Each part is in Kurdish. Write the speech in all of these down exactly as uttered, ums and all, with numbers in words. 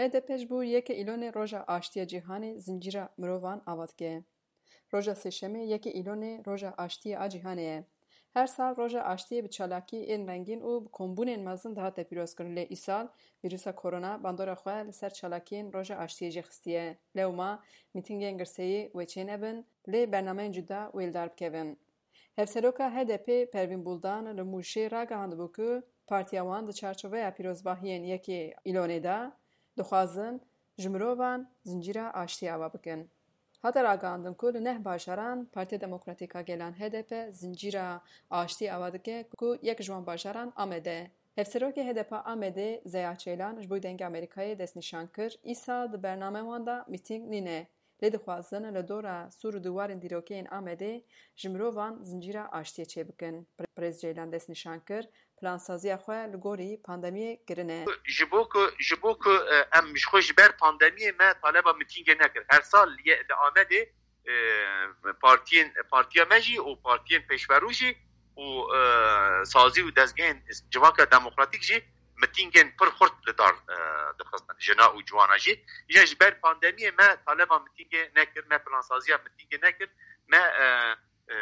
H D P ji bo yekê Îlonê Roja Aştiyê Cîhanê zincîra mirovan ava dike. Roja Sêşemê yekê Îlonê Roja Aştiyê a Cîhanê ye. Her sal Roja Aştiyê bi çalakî ên rengîn û bi kombûnên mezin dihate pîrozkirin, lê îsal vîrusa korona bandora xwe li ser çalakiyên Roja Aştiyê jî xistiye. Lewma mîtîngên girseyî wê çênebin, lê bernameyên cuda wê li dar bikevin. Hevseroka H D P Pervîn Buldan li Mûşê ragihandibû ku partiya wan di çarçoveya pîrozbahiyên yekê Îlonê de dixwazin ji mirovan zincîra aştiyê ava bikin. Hate ragihandin ku li neh bajaran Partiya Demokratîk a Gelan H D P zincîra aştiyê ava dike ku yek ji wan bajaran Amed e. Hevserokê H D P Amedê Zeya Çeylan ji bo Dengê Amerîkayê destnîşan kir, îsal di bername wan de mîtîng nîne. Lê dixwazin li dora sûr û diwarên dîrokeyên Amedê ji mirovan zincîra aştiyê çêbikin. Birêz Ceylan destnîşan kir, plansaziya xwe li gorî pandemiyê kirine. Ji bo ku, ji bo ku, e, em ji xwe ji ber pandemiyê me taleba mitîngê nekir. Her sal li, li Amedê, e, partiyên, partiya me jî û partiyên pêşverû jî û, e, sazî û dezgehên civaka demokratîk jî mitîngên pir xurt li dar, e, dixistin, jina û ciwana jî. Îja ji ber pandemiyê me taleba mitîngê nekir, me plansaziya mitîngê nekir, me, e, e,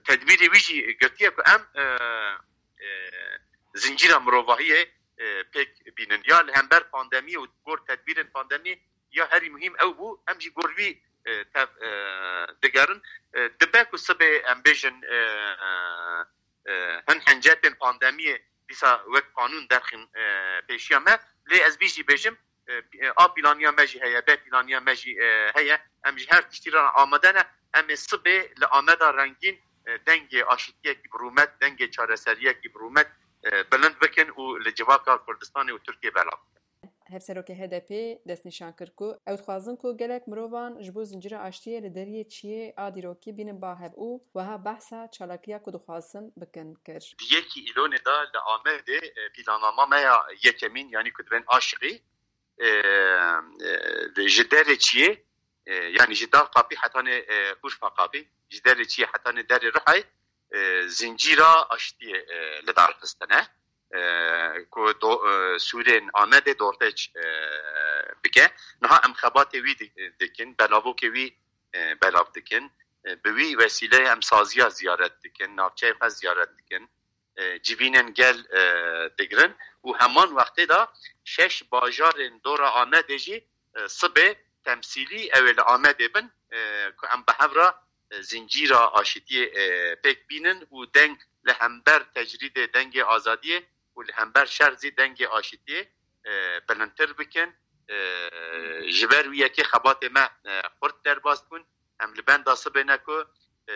tedbîrê wî jî girtiye ku em, e, e, zincîra mirovahiyê, e, pêk bînin. Ya li hember pandemiyê û gor tedbîrên pandemiyê ya herî muhîm ew bû, em jî gor wî, e, tev, e, digerin. E, dibe ku sibê em bêjin, e, e, hin hincetên pandemiyê dîsa wek qanûn derxîn, e, pêşiya me. Lê ez vî jî bêjim, e, e, A planiya me jî heye, B planiya me jî, e, heye. Em ji her tiştî re amade ne. Em ê sibê li Ameda rengîn, e, dengê aşitiyekî bi rûmet, dengê çareseriyekî bi rûmet, e, bilind bikin û li civaka Kurdistanê û Tirkiyê belav bikin. Hevserokê H D P destnîşan kir ku ew dixwazin ku gelek mirovan ji bo zincîra aştiyê li deriyê çiyê a dîrokî bînin ba hev û wiha behsa çalakiya ku dixwazin bikin kir. Di yekî Îlonê de li Amedê, e, planama me ya yekemîn, yanî ku dibên aşiqî, e, e, ji derê çiyê, e, yanî ji Dal Qapî hetanê, e, Urfa Qapî, ji derê çiyê hetanê derê Rihayê, e, zincîra aştiyê, e, li dar xistine, e, ku do-, e, sûrên Amedê dortêç, e, bike. Niha em xebatê wî di-, dikin, belavokê wî, e, belav dikin. E, bi wî wesîleyê em saziya ziyaret dikin, navçeyê xwe ziyaret dikin, e, civînên gel, e, digirin û heman wextê de şeş bajarên dora Amedê jî, e, sibê temsîlî ew ê li Amedê bin, e, ku em bi hev re, e, zincîra aşitiyê, e, pêk bînin û deng li hember tecrîdê dengê azadiyê û li hember şer zî dengê aşitiyê, e, bilindtir bikin. E, ji ber wî yekê xebatê me, e, xurt derbas bûn. Em li benda sibê ne ku, e,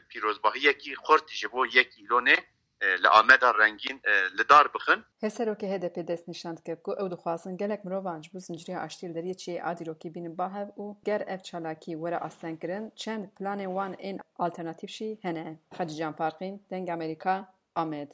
pîrozbahiyekî xurt ji bo yek Îlonê, e, li Ameda rengîn, e, li dar bixin. Hevserokê H D P destnîşan dike ku ew dixwazin gelek mirovan ji bo zincîrê aştiyê li deriyê çiyê a dîrokî bînin ba hev û ger ev çalakî were astengkirin, çend planên wan ên alternatîf jî hene. Hacî Can Farqîn, Dengê Amerîka, Amed.